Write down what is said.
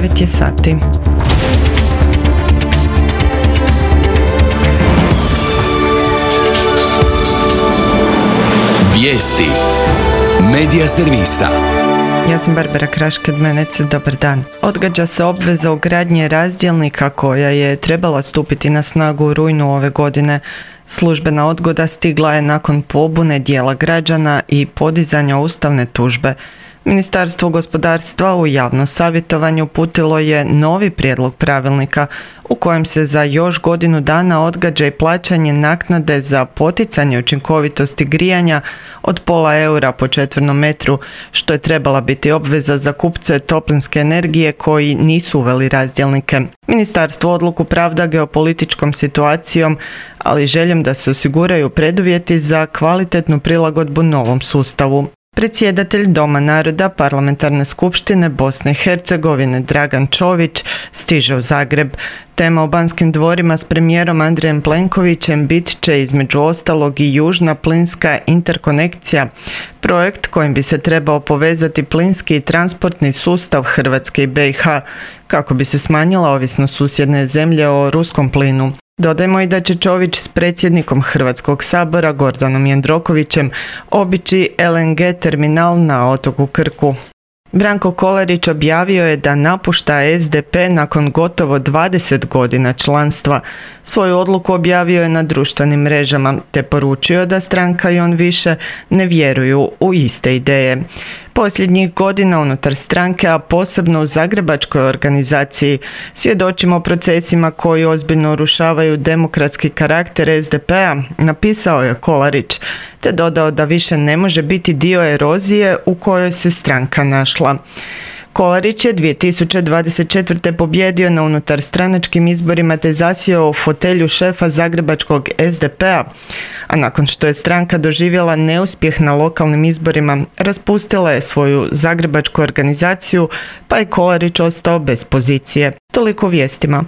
9 je sati. Vijesti Medija servisa. Ja sam Barbara Kraš-Kedmenec, dobar dan. Odgađa se obveza ugradnje razdjelnika koja je trebala stupiti na snagu u rujnu ove godine. Službena odgoda stigla je nakon pobune dijela građana i podizanja ustavne tužbe. Ministarstvo gospodarstva u javno savjetovanje uputilo je novi prijedlog pravilnika u kojem se za još godinu dana odgađa i plaćanje naknade za poticanje učinkovitosti grijanja od €0,5 po četvrnom metru, što je trebala biti obveza za kupce toplinske energije koji nisu uveli razdjelnike. Ministarstvo odluku pravda geopolitičkom situacijom, ali željom da se osiguraju preduvjeti za kvalitetnu prilagodbu novom sustavu. Predsjedatelj Doma naroda Parlamentarne skupštine Bosne i Hercegovine Dragan Čović stiže u Zagreb. Tema o Banskim dvorima s premijerom Andrejem Plenkovićem bit će između ostalog i južna plinska interkonekcija, projekt kojim bi se trebao povezati plinski i transportni sustav Hrvatske i BiH kako bi se smanjila ovisnost susjedne zemlje o ruskom plinu. Dodajmo i da će Čović s predsjednikom Hrvatskog sabora Gordanom Jandrokovićem obići LNG terminal na otoku Krku. Branko Kolarić objavio je da napušta SDP nakon gotovo 20 godina članstva. Svoju odluku objavio je na društvenim mrežama te poručio da stranka i on više ne vjeruju u iste ideje. Posljednjih godina unutar stranke, a posebno u zagrebačkoj organizaciji, svjedočimo procesima koji ozbiljno urušavaju demokratski karakter SDP-a, napisao je Kolarić, te dodao da više ne može biti dio erozije u kojoj se stranka našla. Kolarić je 2024. pobjedio na unutarstranačkim izborima te zasjeo u fotelju šefa zagrebačkog SDP-a, a nakon što je stranka doživjela neuspjeh na lokalnim izborima, raspustila je svoju zagrebačku organizaciju, pa je Kolarić ostao bez pozicije. Toliko vijestima.